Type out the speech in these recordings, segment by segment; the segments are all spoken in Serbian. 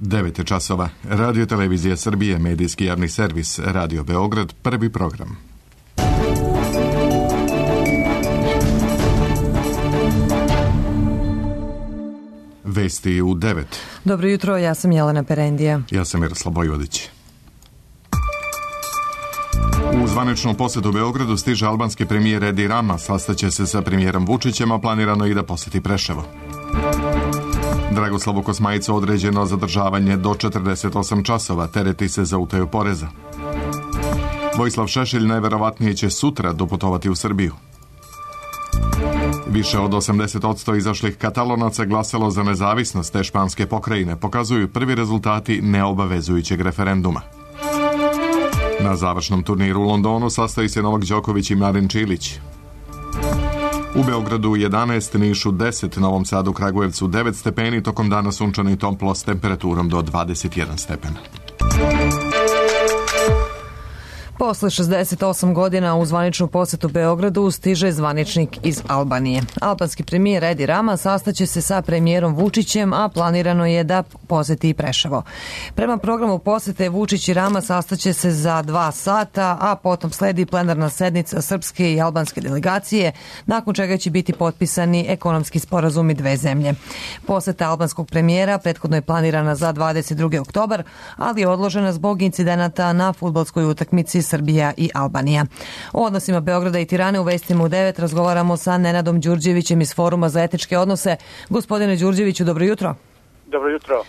9 je časova. Radio Televizija Srbije, medijski javni servis, Radio Beograd, prvi program. Vesti u 9. Dobro jutro, ja sam Jelena Perendija. Ja sam Miroslav Bojvodić. U zvaničnom posjetu Beogradu stiže albanski premijer Edi Rama, sastaće se sa premijerom Vučićem, a planirano i da posjeti Preševo. Dragoslavu Kosmajcu određeno zadržavanje do 48 časova, tereti se za utaju poreza. Vojislav Šešelj najverovatnije će sutra doputovati u Srbiju. Više od 80% izašlih Katalonaca glasalo za nezavisnost te španske pokrajine, pokazuju prvi rezultati neobavezujućeg referenduma. Na završnom turniru u Londonu sastoji se Novak Đoković i Marin Čilić. U Beogradu 11, Nišu 10, Novom Sadu, Kragujevcu 9 stepeni, tokom dana sunčano i toplo s temperaturom do 21 stepena. Posle 68 godina u zvaničnu posetu Beogradu stiže zvaničnik iz Albanije. Albanski premijer Edi Rama sastaće se sa premijerom Vučićem, a planirano je da poseti i Preševo. Prema programu posete Vučić i Rama sastaće se za 2 sata, a potom sledi plenarna sednica srpske i albanske delegacije, nakon čega će biti potpisani ekonomski sporazumi dve zemlje. Poseta albanskog premijera prethodno je planirana za 22. oktobar, ali je odložena zbog incidenata na fudbalskoj utakmici Srbija i Albanija. O odnosima Beograda i Tirane u vestima u 9 razgovaramo sa Nenadom Đurđevićem iz Foruma za etičke odnose. Gospodine Đurđeviću, dobro jutro. Dobro jutro.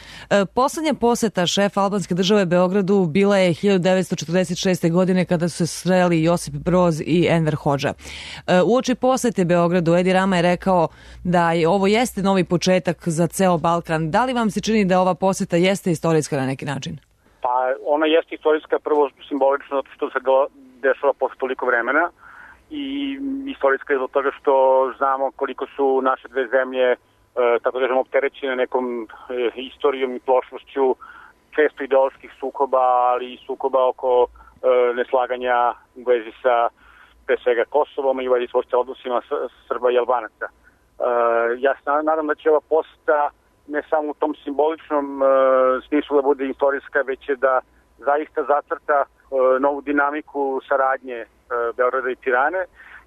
Poslednja poseta šefa albanske države Beogradu bila je 1946. godine kada su se sreli Josip Broz i Enver Hodža. Uoči posete Beogradu Edi Rama je rekao da ovo jeste novi početak za ceo Balkan. Da li vam se čini da ova poseta jeste istorijska na neki način? Pa ona jeste istorijska, prvo simbolično što se dešava posle toliko vremena i istorijska je zbog toga što znamo koliko su naše dve zemlje tako da kažemo opterećene nekom istorijom i prošlošću, često ideoloških sukoba, ali i sukoba oko neslaganja u vezi sa pre svega Kosovom i u vezi sa odnosima Srba i Albanaca. Ja se nadam da će ova poseta ne samo u tom simboličnom smislu da bude istorijska, već je da zaista zacrta novu dinamiku saradnje Beograda i Tirane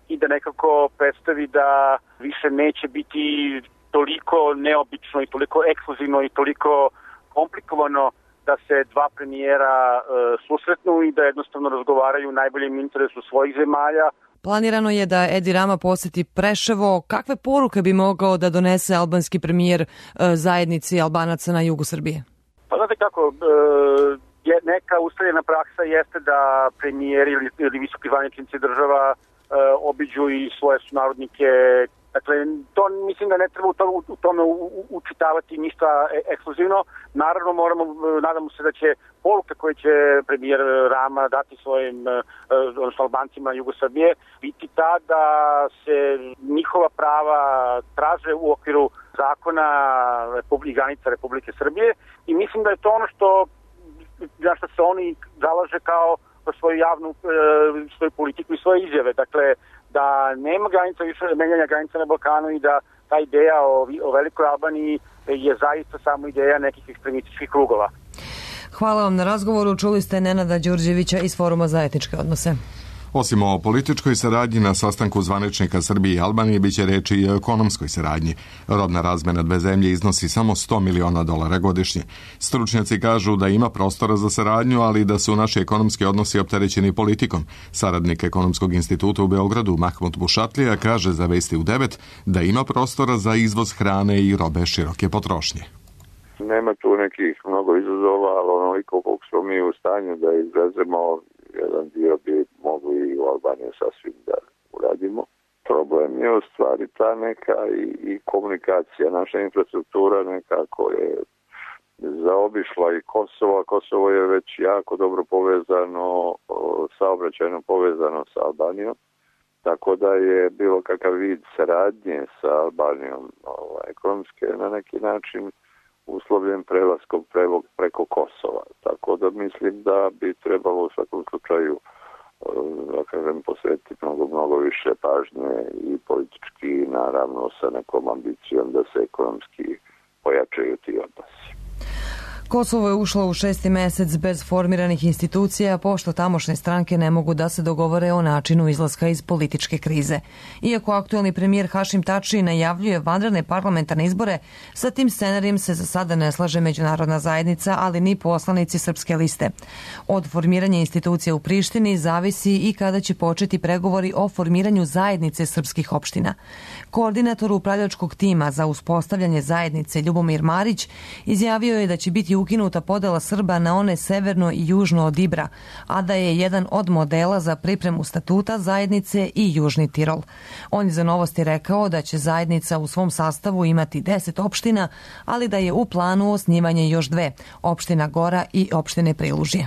i da nekako predstavi da više neće biti toliko neobično i toliko ekskluzivno i toliko komplikovano da se dva premijera susretnu i da jednostavno razgovaraju u najboljem interesu svojih zemalja. Planirano je da Edi Rama poseti Preševo. Kakve poruke bi mogao da donese albanski premijer zajednici Albanaca na jugu Srbije? Pa znate kako, neka ustaljena praksa jeste da premijeri ili visoki zvaničnici država obiđu i svoje sunarodnike. Dakle, to mislim da ne treba u tome učitavati ništa ekskluzivno. Naravno, nadamo se da će poruka koje će premijer Rama dati svojim Albancima Jugo Srbije biti ta da se njihova prava traže u okviru zakona i granica Republike Srbije i mislim da je to ono za što se oni zalaže kao svoju javnu svoju politiku i svoje izjave. Dakle, da nema granica više menjanja granica na Balkanu i da ta ideja o velikoj Albaniji je zaista samo ideja nekih ekstremističkih krugova. Hvala vam na razgovoru. Čuli ste Nenada Đurđevića iz Foruma za etičke odnose. Osim o političkoj saradnji, na sastanku zvaničnika Srbije i Albanije biće reči i o ekonomskoj saradnji. Robna razmena dve zemlje iznosi samo $100 miliona godišnje. Stručnjaci kažu da ima prostora za saradnju, ali da su naši ekonomski odnosi opterećeni politikom. Saradnik Ekonomskog instituta u Beogradu, Mahmut Bušatlija, kaže za Vesti u 9 da ima prostora za izvoz hrane i robe široke potrošnje. Nema tu nekih mnogo izazova, ali onoliko koliko smo mi u stanju da izvezemo, jedan dio bi mogli i u Albaniji sasvim da uradimo. Problem je u stvari ta neka i komunikacija. Naša infrastruktura nekako je zaobišla i Kosovo. Kosovo je već jako dobro povezano, saobraćajno povezano sa Albanijom. Tako da je bilo kakav vid saradnje sa Albanijom ekonomske na neki način uslovljen prelaskom preko Kosova. Tako da mislim da bi trebalo u svakom slučaju posvetiti mnogo više pažnje i politički, naravno sa nekom ambicijom da se ekonomski pojačaju ti odnosi. Kosovo je ušlo u 6. mesec bez formiranih institucija, pošto tamošnje stranke ne mogu da se dogovore o načinu izlaska iz političke krize. Iako aktuelni premijer Hašim Tači najavljuje vanredne parlamentarne izbore, sa tim scenarijem se za sada ne slaže međunarodna zajednica, ali ni poslanici Srpske liste. Od formiranja institucija u Prištini zavisi i kada će početi pregovori o formiranju zajednice srpskih opština. Koordinator upravljačkog tima za uspostavljanje zajednice Ljubomir Marić izjavio je da će biti ukinuta podela Srba na one severno i južno od Ibra, a da je jedan od modela za pripremu statuta zajednice i Južni Tirol. On je za Novosti rekao da će zajednica u svom sastavu imati 10 opština, ali da je u planu osnivanje još 2, opština Gora i opštine Prilužje.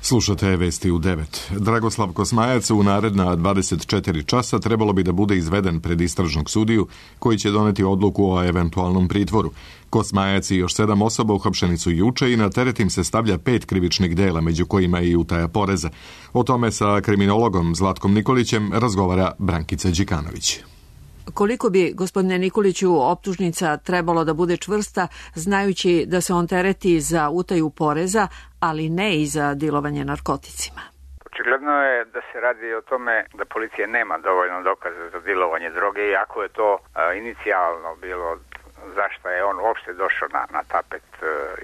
Slušate vesti u 9. Dragoslav Kosmajac u naredna 24 časa trebalo bi da bude izveden pred istražnog sudiju koji će doneti odluku o eventualnom pritvoru. Kosmajac i još 7 osoba uhapšeni su juče i na teret im se stavlja 5 krivičnih dela, među kojima i utaja poreza. O tome sa kriminologom Zlatkom Nikolićem razgovara Brankica Đikanović. Koliko bi, gospodine Nikoliću, optužnica trebalo da bude čvrsta, znajući da se on tereti za utaju poreza, ali ne i za dilovanje narkoticima? Očigledno je da se radi o tome da policija nema dovoljno dokaza za dilovanje droge, iako je to inicijalno bilo zašto je on uopšte došao na tapet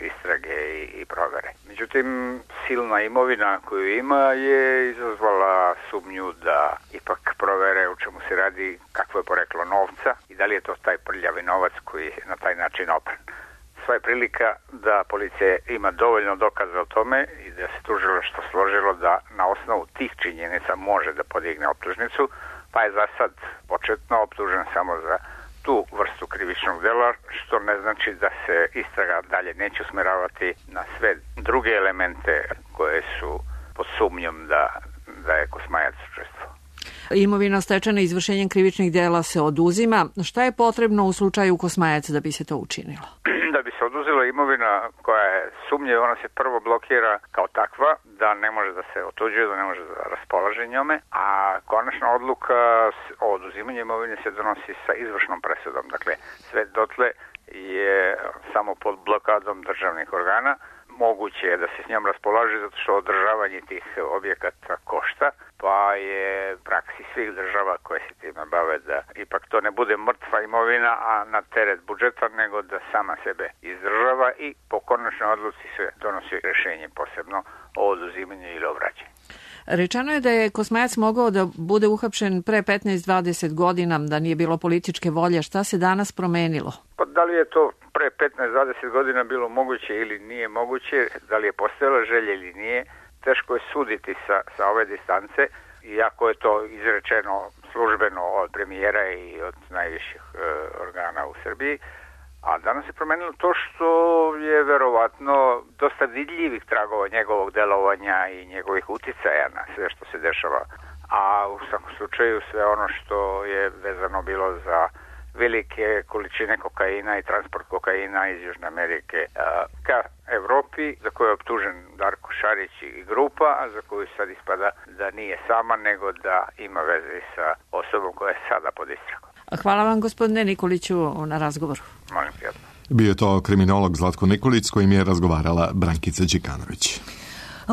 istrage i provere. Međutim, silna imovina koju ima je izazvala sumnju da ipak provere u čemu se radi, kakvo je poreklo novca i da li je to taj prljavi novac koji je na taj način opran. Sva je prilika da policija ima dovoljno dokaza o tome i da se tužilaštvo složilo da na osnovu tih činjenica može da podigne optužnicu, pa je za sad početno optužen samo za tu vrstu krivičnog dela, što ne znači da se istraga dalje neće usmeravati na sve druge elemente koje su pod sumnjom da je Kosmajac učestvovao. Imovina stečena izvršenjem krivičnih dela se oduzima. Šta je potrebno u slučaju Kosmajac da bi se to učinilo? Da bi se oduzela imovina koja je sumnjiva, ona se prvo blokira kao takva, da ne može da se otuđuje, da ne može da raspolaže njome, a konačna odluka o oduzimanju imovine se donosi sa izvršnom presudom. Dakle, sve dotle je samo pod blokadom državnih organa. Moguće je da se s njom raspolaže zato što održavanje tih objekata košta, pa je praksi svih država koje se time bave da ipak to ne bude mrtva imovina, a na teret budžeta, nego da sama sebe izdržava i po konačnoj odluci se donosi rješenje posebno o oduzimanju ili o vraćanju. Rečeno je da je Kosmajac mogao da bude uhapšen pre 15-20 godina, da nije bilo političke volje. Šta se danas promenilo? Pa da li je to pre 15-20 godina bilo moguće ili nije moguće, da li je postojala želja ili nije, teško je suditi sa ove distance, iako je to izrečeno službeno od premijera i od najviših organa u Srbiji. A danas je promenilo to što je verovatno dosta vidljivih tragova njegovog delovanja i njegovih uticaja na sve što se dešava. A u svakom slučaju sve ono što je vezano bilo za velike količine kokaina i transport kokaina iz Južne Amerike ka Evropi, za koju je optužen Darko Šarić i grupa, a za koju sad ispada da nije sama, nego da ima veze sa osobom koja je sada pod istragom. Hvala vam, gospodine Nikoliću, na razgovoru. Molim prijatno. Bio je to kriminolog Zlatko Nikolić s kojim je razgovarala Brankica Đikanović.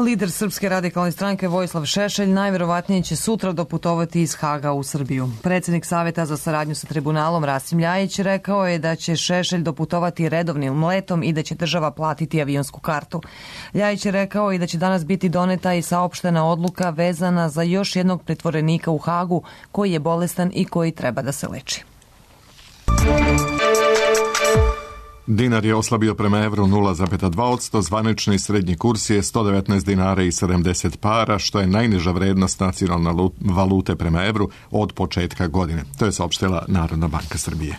Lider Srpske radikalne stranke Vojislav Šešelj najverovatnije će sutra doputovati iz Haga u Srbiju. Predsjednik Saveta za saradnju sa tribunalom Rasim Ljajić rekao je da će Šešelj doputovati redovnim letom i da će država platiti avionsku kartu. Ljajić je rekao i da će danas biti doneta i saopštena odluka vezana za još jednog pritvorenika u Hagu koji je bolestan i koji treba da se leči. Dinar je oslabio prema evru 0,2%, zvanični srednji kurs je 119 dinara i 70 para, što je najniža vrednost nacionalne valute prema evru od početka godine. To je saopštila Narodna banka Srbije.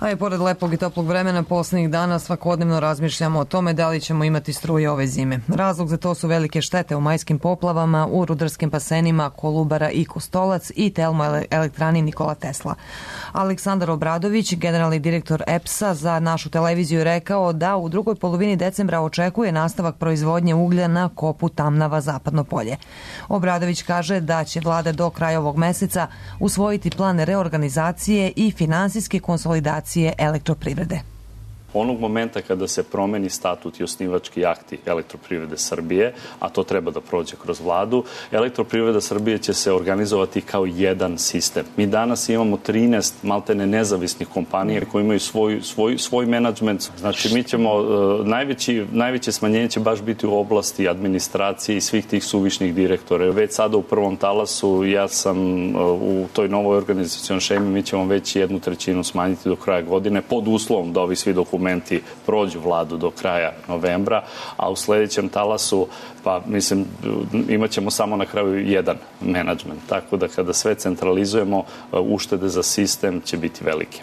A i pored lepog i toplog vremena posljednjih dana svakodnevno razmišljamo o tome da li ćemo imati struje ove zime. Razlog za to su velike štete u majskim poplavama, u rudarskim basenima Kolubara i Kostolac i termoelektrani Nikola Tesla. Aleksandar Obradović, generalni direktor EPS-a, za našu televiziju rekao da u drugoj polovini decembra očekuje nastavak proizvodnje uglja na kopu Tamnava Zapadno polje. Obradović kaže da će vlada do kraja ovog meseca usvojiti plan reorganizacije i finansijske konsolidacije elektroprivrede. Onog momenta kada se promeni statut i osnivački akti Elektroprivrede Srbije, a to treba da prođe kroz vladu, Elektroprivreda Srbije će se organizovati kao jedan sistem. Mi danas imamo 13 maltene nezavisnih kompanija koji imaju svoj menadžment. Znači mi ćemo, najveće smanjenje će baš biti u oblasti administracije i svih tih suvišnih direktora. Već sada u prvom talasu ja sam u toj novoj organizacijonoj šemi, mi ćemo već 1/3 smanjiti do kraja godine pod uslovom da ovi svi dokumenti prođu vladu do kraja novembra, a u sledećem talasu, pa mislim, imat ćemo samo na kraju jedan menadžment. Tako da kada sve centralizujemo, uštede za sistem će biti velike.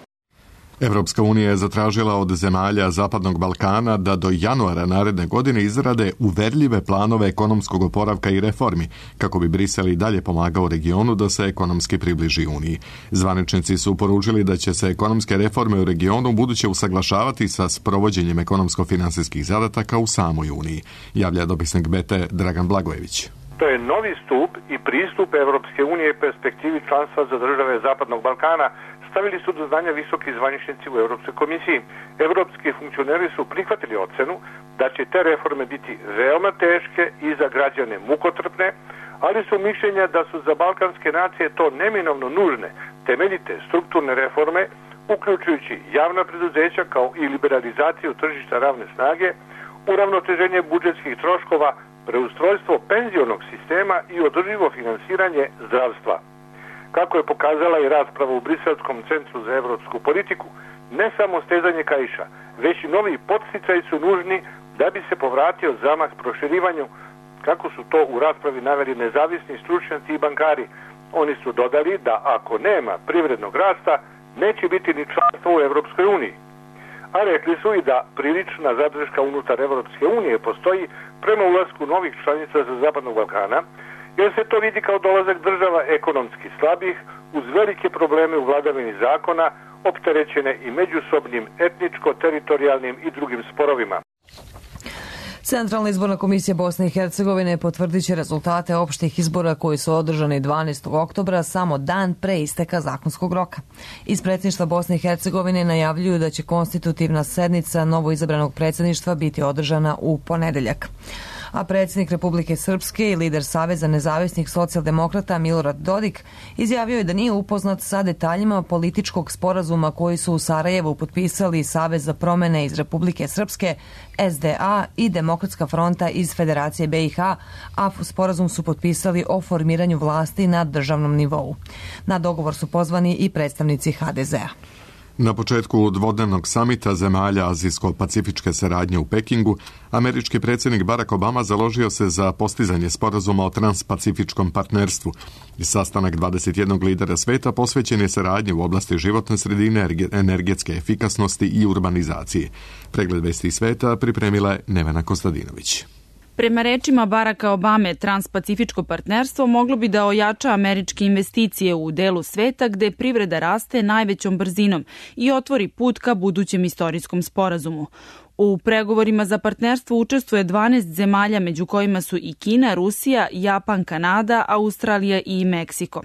Evropska unija je zatražila od zemalja Zapadnog Balkana da do januara naredne godine izrade uverljive planove ekonomskog oporavka i reformi, kako bi Brisel i dalje pomagao regionu da se ekonomski približi Uniji. Zvaničnici su poručili da će se ekonomske reforme u regionu buduće usaglašavati sa sprovođenjem ekonomsko-finansijskih zadataka u samoj Uniji, javlja dopisnik BT Dragan Blagojević. To je novi stup i pristup Evropske unije perspektivi članstva za države Zapadnog Balkana, stavili su do znanja visoki zvaničnici u Evropskoj komisiji. Evropski funkcioneri su prihvatili ocenu da će te reforme biti veoma teške i za građane mukotrpne, ali su mišljenja da su za balkanske nacije to neminovno nužne, temeljite strukturne reforme, uključujući javna preduzeća kao i liberalizaciju tržišta ravne snage, uravnoteženje budžetskih troškova, preustrojstvo penzionog sistema i održivo finansiranje zdravstva. Kako je pokazala i rasprava u Briselskom centru za evropsku politiku, ne samo stezanje kaiša, već i novi podsticaji su nužni da bi se povratio zamah proširivanju, kako su to u raspravi naveli nezavisni stručnjaci i bankari. Oni su dodali da ako nema privrednog rasta, neće biti ni članstvo u Evropskoj uniji. A rekli su i da prilična zadrška unutar Evropske unije postoji prema ulasku novih članica za Zapadnog Balkana, jer se to vidi kao dolazak država ekonomski slabih, uz velike probleme u vladavini zakona, opterećene i međusobnim etničko-teritorijalnim i drugim sporovima. Centralna izborna komisija Bosne i Hercegovine potvrdit će rezultate opštih izbora koji su održani 12. oktobra, samo dan pre isteka zakonskog roka. Iz predsjedništva Bosne i Hercegovine najavljuju da će konstitutivna sednica novoizabranog predsjedništva biti održana u ponedeljak. A predsjednik Republike Srpske i lider Saveza nezavisnih socijaldemokrata Milorad Dodik izjavio je da nije upoznat sa detaljima političkog sporazuma koji su u Sarajevu potpisali Savez za promene iz Republike Srpske, SDA i Demokratska fronta iz Federacije BiH, a sporazum su potpisali o formiranju vlasti na državnom nivou. Na dogovor su pozvani i predstavnici HDZ-a. Na početku dvodnevnog samita zemalja azijsko-pacifičke saradnje u Pekingu, američki predsjednik Barack Obama založio se za postizanje sporazuma o transpacifičkom partnerstvu. Sastanak 21 lidera sveta posvećen je saradnji u oblasti životne sredine, energetske efikasnosti i urbanizacije. Pregled vesti sveta pripremila je Nevena Kostadinović. Prema rečima Baracka Obame, transpacifičko partnerstvo moglo bi da ojača američke investicije u delu sveta gde privreda raste najvećom brzinom i otvori put ka budućem istorijskom sporazumu. U pregovorima za partnerstvo učestvuje 12 zemalja, među kojima su i Kina, Rusija, Japan, Kanada, Australija i Meksiko.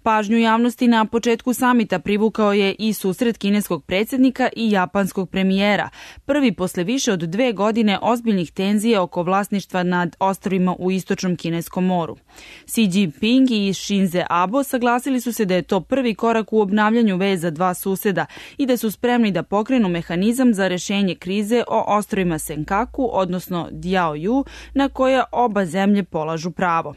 Pažnju javnosti na početku samita privukao je i susret kineskog predsjednika i japanskog premijera, prvi posle više od 2 godine ozbiljnih tenzija oko vlasništva nad ostrvima u istočnom Kineskom moru. Xi Jinping i Shinzo Abe saglasili su se da je to prvi korak u obnavljanju veza dva suseda i da su spremni da pokrenu mehanizam za rešenje krize o ostrvima Senkaku, odnosno Diaoyu, na koja oba zemlje polažu pravo.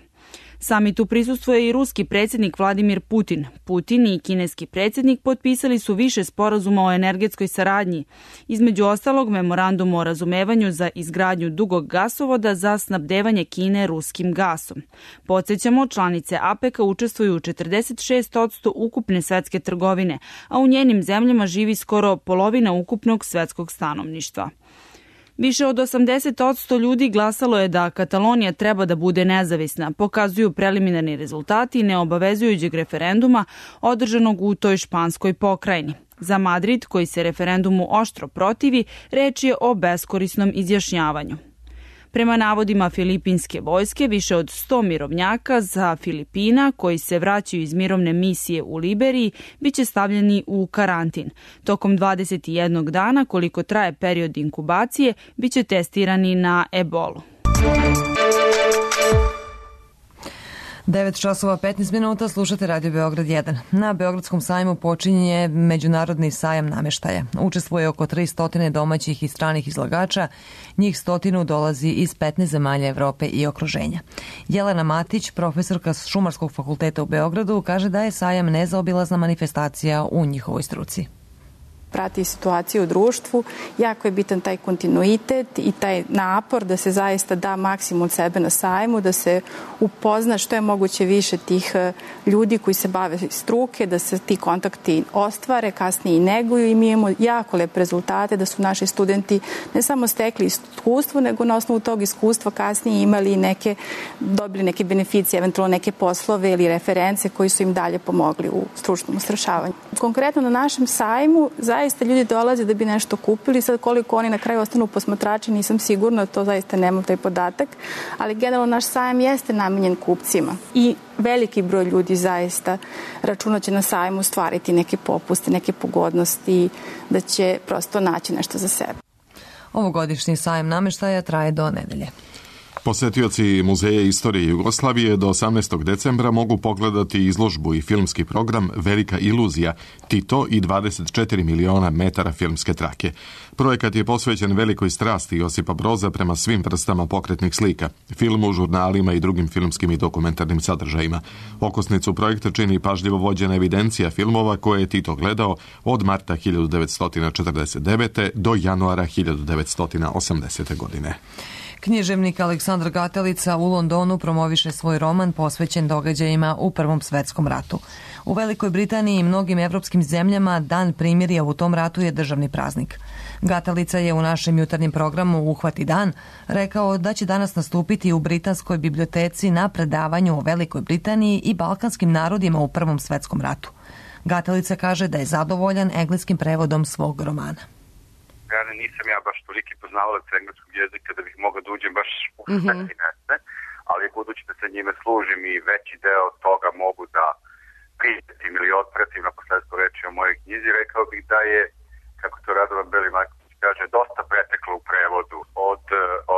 Samitu prisustvuje i ruski predsjednik Vladimir Putin. Putin i kineski predsjednik potpisali su više sporazuma o energetskoj saradnji, između ostalog memorandum o razumevanju za izgradnju dugog gasovoda za snabdevanje Kine ruskim gasom. Podsjećamo, članice APEC-a učestvuju u 46% ukupne svetske trgovine, a u njenim zemljama živi skoro polovina ukupnog svetskog stanovništva. Više od 80% ljudi glasalo je da Katalonija treba da bude nezavisna, pokazuju preliminarni rezultati neobavezujućeg referenduma održanog u toj španskoj pokrajini. Za Madrid, koji se referendumu oštro protivi, reč je o beskorisnom izjašnjavanju. Prema navodima filipinske vojske, više od 100 mirovnjaka za Filipina koji se vraćaju iz mirovne misije u Liberiji biće stavljeni u karantin. Tokom 21 dana, koliko traje period inkubacije, biće testirani na ebolu. 9 časova 15 minuta, slušate Radio Beograd 1. Na Beogradskom sajmu počinje Međunarodni sajam nameštaja. Učestvuje oko 300 domaćih i stranih izlagača, njih 100 dolazi iz 15 zemalja Evrope i okruženja. Jelena Matić, profesorka Šumarskog fakulteta u Beogradu, kaže da je sajam nezaobilazna manifestacija u njihovoj struci. Prati situaciju u društvu, jako je bitan taj kontinuitet i taj napor da se zaista da maksimum sebe na sajmu, da se upozna što je moguće više tih ljudi koji se bave struke, da se ti kontakti ostvare, kasnije i neguju i mi imamo jako lepe rezultate da su naši studenti ne samo stekli iskustvo, nego na osnovu tog iskustva kasnije imali dobili neke beneficije, eventualno neke poslove ili reference koji su im dalje pomogli u stručnom usavršavanju. Konkretno na našem sajmu zaista ljudi dolaze da bi nešto kupili, sad koliko oni na kraju ostanu posmatrači nisam sigurna, to zaista nemam taj podatak, ali generalno naš sajam jeste namenjen kupcima i veliki broj ljudi zaista računa će na sajmu stvariti neke popuste, neke pogodnosti, da će prosto naći nešto za sebe. Ovogodišnji sajam nameštaja traje do nedelje. Posetioci Muzeja istorije Jugoslavije do 18. decembra mogu pogledati izložbu i filmski program Velika iluzija, Tito i 24 miliona metara filmske trake. Projekat je posvećen velikoj strasti Josipa Broza prema svim vrstama pokretnih slika, filmu, žurnalima i drugim filmskim i dokumentarnim sadržajima. Okosnicu projekta čini pažljivo vođena evidencija filmova koje je Tito gledao od marta 1949. do januara 1980. godine. Književnik Aleksandar Gatelica u Londonu promoviše svoj roman posvećen događajima u Prvom svetskom ratu. U Velikoj Britaniji i mnogim evropskim zemljama Dan primirja u tom ratu je državni praznik. Gatelica je u našem jutarnjem programu Uhvati dan rekao da će danas nastupiti u Britanskoj biblioteci na predavanju o Velikoj Britaniji i balkanskim narodima u Prvom svetskom ratu. Gatelica kaže da je zadovoljan engleskim prevodom svog romana. Ja nisam baš toliki poznavalac engleskog jezika da bih mogao da uđem baš u sve finese, ali budući da se njime služim i veći deo toga mogu da prijetim ili otpratim na posledstvo reči o mojoj knjizi, rekao bih da je, kako to Radovan Beli-Marković kaže, dosta preteklo u prevodu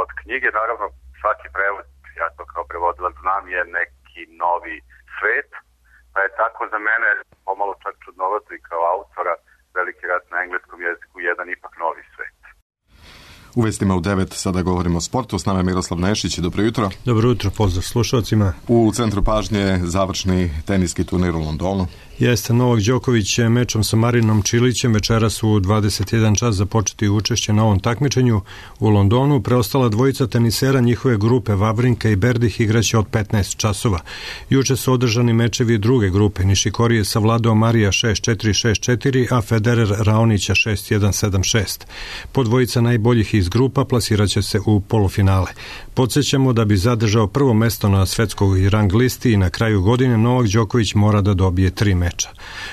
od knjige. Naravno, svaki prevod, ja to kao prevodilac znam, je neki novi svet, pa je tako za mene pomalo čak čudnovato i kao autora Veliki rat na engleskom jeziku jedan ipak novi svet. U vestima u 9 sada govorimo o sportu. S nama je Miroslav Nešić. Dobro jutro. Dobro jutro, pozdrav slušalcima. U centru pažnje završni teniski turnir u Londonu. Jeste, Novak Đoković je mečom sa Marinom Čilićem večeras u 21 čas započeti učešće na ovom takmičenju u Londonu. Preostala dvojica tenisera njihove grupe Vavrinka i Berdih igraće od 15 časova. Juče su održani mečevi druge grupe. Nišikori je savladao Marija 6-4, 6-4, a Federer Raonića 6-1, 7-6. Po dvojica najboljih iz grupa plasiraće se u polufinale. Podsjećamo da bi zadržao prvo mesto na svetskoj rang listi i na kraju godine Novak Đoković mora da dobije 3 meča.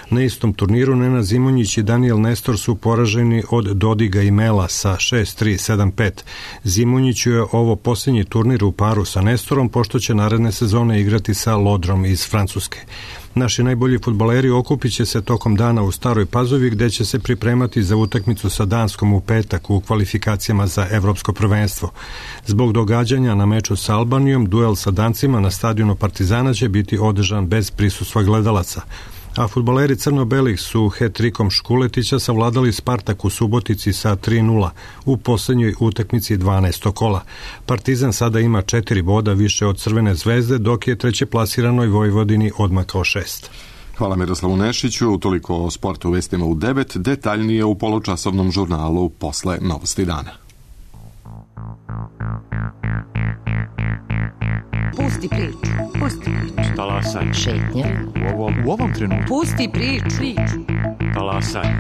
Na istom turniru Nenad Zimonjić i Daniel Nestor su poraženi od Dodiga i Mela sa 6-3, 7-5. Zimonjiću je ovo posljednji turnir u paru sa Nestorom, pošto će naredne sezone igrati sa Lodrom iz Francuske. Naši najbolji fudbaleri okupit će se tokom dana u Staroj Pazovi, gde će se pripremati za utakmicu sa Danskom u petak u kvalifikacijama za evropsko prvenstvo. Zbog događanja na meču sa Albanijom, duel sa Dancima na stadionu Partizana će biti održan bez prisustva gledalaca. A fudbaleri crno-belih su hat-trikom Škuletića savladali Spartak u Subotici sa 3-0 u poslednjoj utakmici 12. kola. Partizan sada ima 4 boda više od Crvene zvezde, dok je treće plasiranoj Vojvodini odmakao 6. Hvala Miroslavu Nešiću. Toliko o sportu u vestima u 9, detaljnije u polučasovnom žurnalu posle Novosti dana. Pusti priču. Pusti priču. Talasaj. Šetnja. U ovom trenutku. Pusti priču. Talasaj.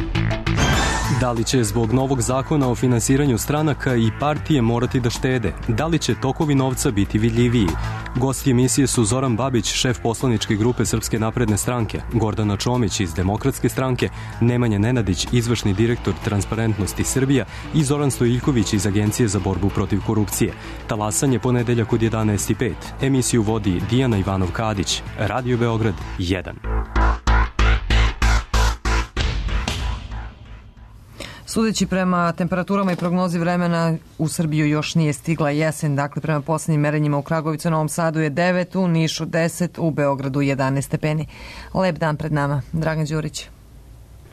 Da li će zbog novog zakona o finansiranju stranaka i partije morati da štede? Da li će tokovi novca biti vidljiviji? Gosti emisije su Zoran Babić, šef poslaničke grupe Srpske napredne stranke, Gordana Čomić iz Demokratske stranke, Nemanja Nenadić, izvršni direktor Transparentnosti Srbija i Zoran Stojiljković iz Agencije za borbu protiv korupcije. Talasanje ponedeljak od 11:05. Emisiju vodi Dijana Ivanov-Kadić. Radio Beograd 1. Sudeći prema temperaturama i prognozi vremena, u Srbiju još nije stigla jesen, dakle prema poslednjim merenjima u Kragujevcu, Novom Sadu je 9, u Nišu 10, u Beogradu 11 stepeni. Lep dan pred nama. Dragan Đurić.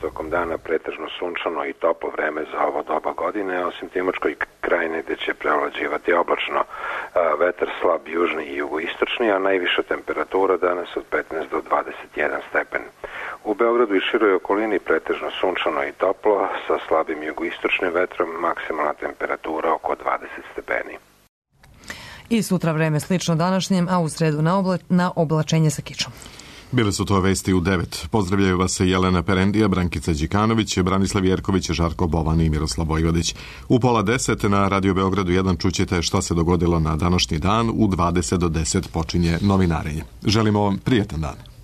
Tokom dana pretežno sunčano i toplo vreme za ovo doba godine, osim Timočkoj krajine gde će prevlađivati oblačno, vetar slab južni i jugoistočni, a najviša temperatura danas od 15 do 21 stepen. U Beogradu i široj okolini pretežno sunčano i toplo, sa slabim jugoistočnim vetrom, maksimalna temperatura oko 20 stepeni. I sutra vreme slično današnjem, a u sredu na oblačenje sa kičom. Bile su to vesti u 9. Pozdravljaju vas Jelena Perendija, Brankica Đikanović, Branislav Jerković, Žarko Bovan i Miroslav Vojvodić. U 9:30 na Radio Beogradu 1 čućete šta se dogodilo na današnji dan. U 20 do 10 počinje novinarenje. Želimo vam prijetan dan.